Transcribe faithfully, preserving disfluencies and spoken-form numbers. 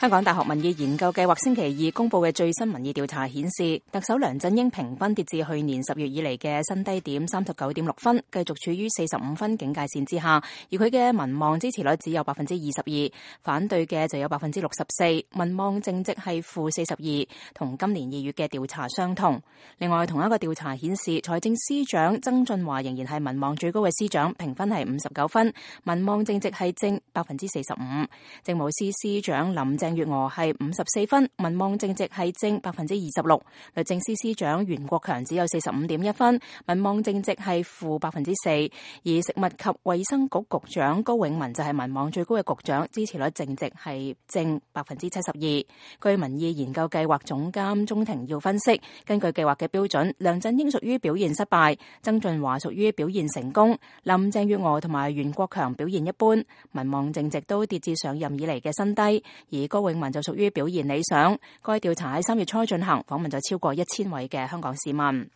香港大學民意研究計劃星期二公布嘅最新民意調查顯示，特首梁振英評分跌至去年十月以嚟嘅新低點三十九點六分，繼續處於四十五分警戒線之下。而佢嘅民望支持率只有百分之二十二，反對嘅就有百分之六十四，民望淨值係負四十二，同今年二月嘅調查相同。另外，同一個調查顯示，財政司長曾俊華仍然係民望最高嘅司長，評分係五十九分，民望淨值係正百分之四十五。政務司司長林鄭月娥係五十四分，民望淨值係正百分之二十六。律政司司長袁國強只有四十五點一分，民望淨值係負百分之四。而食物及衛生局局長高永文就係民望最高嘅局長，支持率淨值係正百分之七十二。據民意研究計劃總監鍾庭耀分析，根據計劃嘅標準，梁振英屬於表現失敗，曾俊華屬於表現成功，林鄭月娥同埋袁國強表現一般，民望淨值都跌至上任以嚟嘅新低。而高永文就屬於表現理想。該調查喺三月初進行，訪問咗超過一千位嘅香港市民。